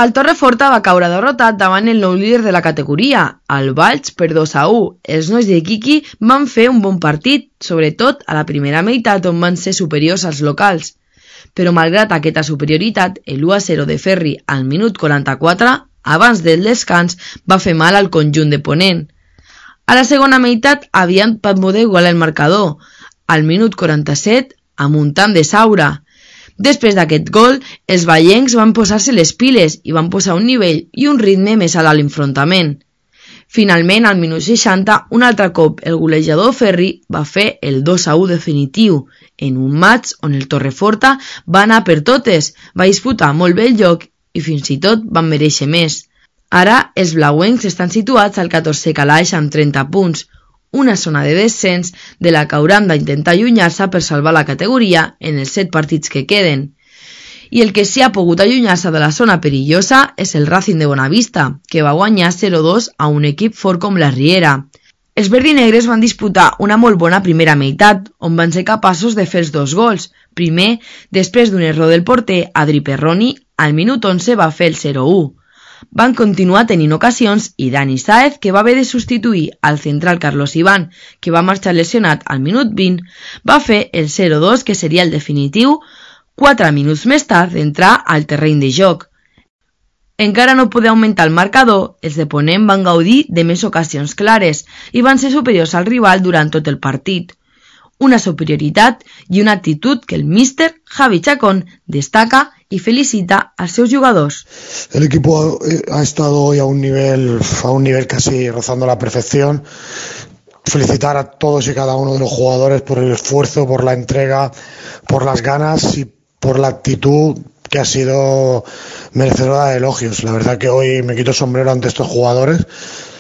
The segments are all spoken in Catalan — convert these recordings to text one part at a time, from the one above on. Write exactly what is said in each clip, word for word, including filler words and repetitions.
El Torreforta va caure derrotat davant el nou líder de la categoria, el Valls, per dos a u. Els nois de Quiqui van fer un bon partit, sobretot a la primera meitat on van ser superiors als locals. Però malgrat aquesta superioritat, el u a zero de Ferri al minut quaranta-quatre, abans del descans, va fer mal al conjunt de Ponent. A la segona meitat havien poder igualar el marcador, al minut quaranta-set, amb un tant de Saura. Després d'aquest gol, els vallencs van posar-se les piles i van posar un nivell i un ritme més alt a l'enfrontament. Finalment, al minut seixanta, un altre cop el golejador Ferri va fer el dos a u definitiu, en un match on el Torreforta va anar per totes, va disputar molt bé el joc i fins i tot van mereixer més. Ara, els blauencs estan situats al catorzè calaix amb trenta punts, una zona de descens de la que hauran d'intentar allunyar-se per salvar la categoria en els set partits que queden. I el que sí ha pogut allunyar-se de la zona perillosa és el Racing de Bonavista, que va guanyar zero a dos a un equip fort com la Riera. Els verdinegres van disputar una molt bona primera meitat, on van ser capaços de fer els dos gols. Primer, després d'un error del porter, Adri Perroni, al minut onze va fer el zero a u. Van continuar tenint ocasions i Dani Sáez, que va haver de substituir al central Carlos Iván, que va marxar lesionat al minut vint, va fer el zero a dos, que seria el definitiu, quatre minuts més tard d'entrar al terreny de joc. Encara no poder augmentar el marcador, els de Ponent van gaudir de més ocasions clares i van ser superiors al rival durant tot el partit. Una superioritat i una actitud que el míster Javi Chacón destaca y felicita a sus jugadores. El equipo ha estado hoy a un nivel, a un nivel casi rozando la perfección. Felicitar a todos y cada uno de los jugadores por el esfuerzo, por la entrega, por las ganas y por la actitud que ha sido merecedora de elogios. La verdad que hoy me quito el sombrero ante estos jugadores,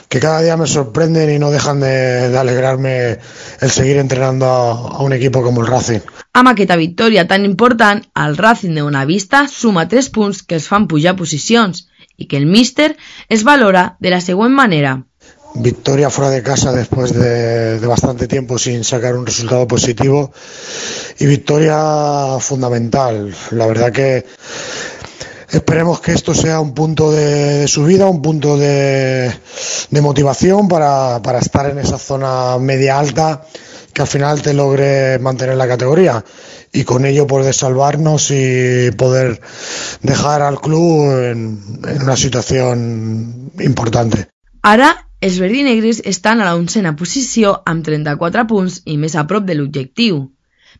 que cada día me sorprenden y no dejan de, de alegrarme el seguir entrenando a, a un equipo como el Racing. Amb aquesta victòria tan important, el Racing de Bonavista suma tres punts que els fan pujar posicions i que el míster es valora de la següent manera. Victoria fuera de casa después de, de bastante tiempo sin sacar un resultado positivo y victoria fundamental. La verdad que esperemos que esto sea un punto de, de subida, un punto de, de motivación para, para estar en esa zona media alta que al final te logre mantener la categoría y con ello poder salvarnos y poder dejar al club en, en una situación importante. Ara, els verdinegres estan a la onzena posició amb trenta-quatre punts i més a prop de l'objectiu.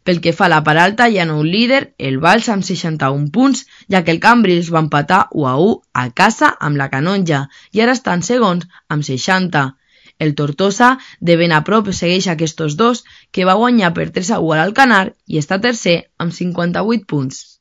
Pel que fa a la part alta hi ha nou líder, el Valls amb seixanta-un punts, ja que el Cambrils va empatar u a u a casa amb la Canonja i ara estan segons amb seixanta. El Tortosa, de ben a prop, segueix aquests dos, que va guanyar per tres a u a l'Alcanar i està tercer amb cinquanta-vuit punts.